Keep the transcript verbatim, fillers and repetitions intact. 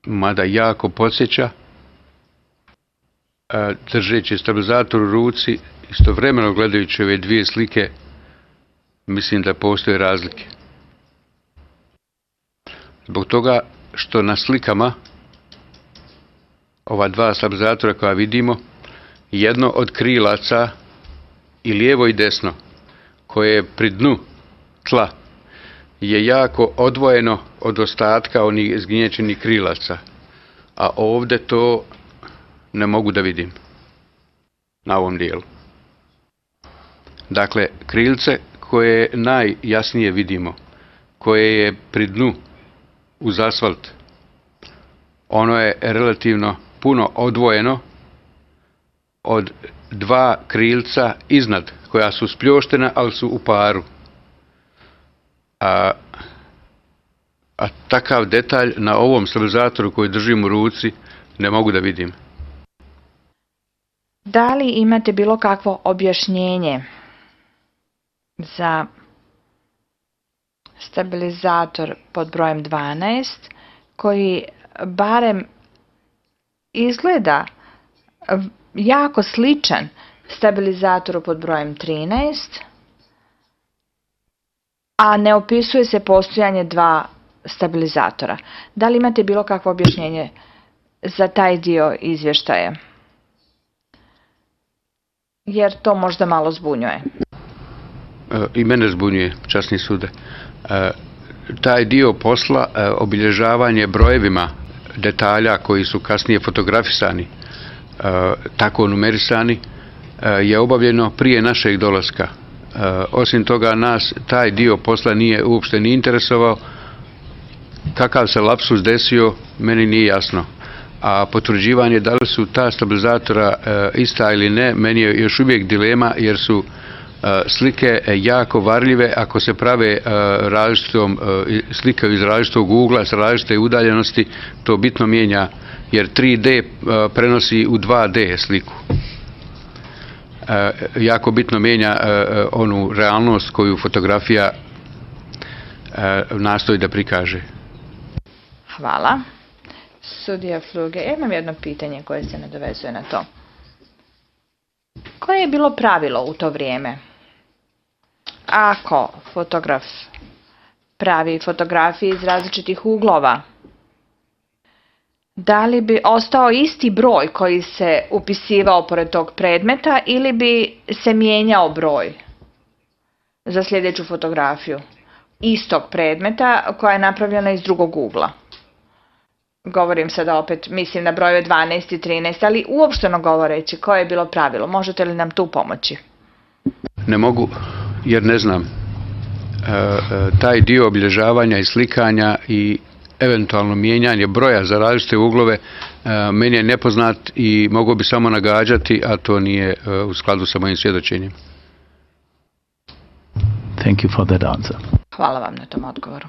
mada jako podsjeća, držeći stabilizator u ruci, istovremeno gledajući ove dvije slike, mislim da postoje razlike. Zbog toga što na slikama ova dva stabilizatora koja vidimo, jedno od krilaca i lijevo i desno, koje je pri dnu tla, je jako odvojeno od ostatka onih zgnječenih krilaca, a ovdje to ne mogu da vidim na ovom dijelu. Dakle, krilce koje najjasnije vidimo, koje je pri dnu uz asfalt, ono je relativno puno odvojeno od dva krilca iznad, koja su spljoštena, ali su u paru. A, a takav detalj na ovom stabilizatoru koji držim u ruci ne mogu da vidim. Da li imate bilo kakvo objašnjenje za stabilizator pod brojem dvanaest, koji barem izgleda jako sličan stabilizatoru pod brojem trinaest, a ne opisuje se postojanje dva stabilizatora? Da li imate bilo kakvo objašnjenje za taj dio izvještaja? Jer to možda malo zbunjuje. I mene zbunjuje, časni sude. Taj dio posla, obilježavanje brojevima detalja koji su kasnije fotografisani, tako numerisani, je obavljeno prije našeg dolaska. Osim toga, nas taj dio posla nije uopšte ni interesovao. Kakav se lapsus desio, meni nije jasno. A potvrđivanje da li su ta stabilizatora ista ili ne, meni je još uvijek dilema, jer su slike jako varljive ako se prave različitom, slike iz različitog ugla, s različite udaljenosti, to bitno mijenja, jer tri D prenosi u dva D sliku. Jako bitno mijenja onu realnost koju fotografija nastoji da prikaže. Hvala. Sudija Fluge, ja imam jedno pitanje koje se nadovezuje na to. Koje je bilo pravilo u to vrijeme? Ako fotograf pravi fotografije iz različitih uglova, da li bi ostao isti broj koji se upisivao pored tog predmeta ili bi se mijenjao broj za sljedeću fotografiju istog predmeta koja je napravljena iz drugog ugla? Govorim sada opet, mislim na brojeve dvanaest i trinaest, ali uopšteno govoreći, koje je bilo pravilo? Možete li nam tu pomoći? Ne mogu, jer ne znam. E, taj dio obilježavanja i slikanja i eventualno mijenjanje broja za različite uglove e, meni je nepoznat i mogu bi samo nagađati, a to nije e, u skladu sa mojim svjedočenjem. Thank you for that answer. Hvala vam na tom odgovoru.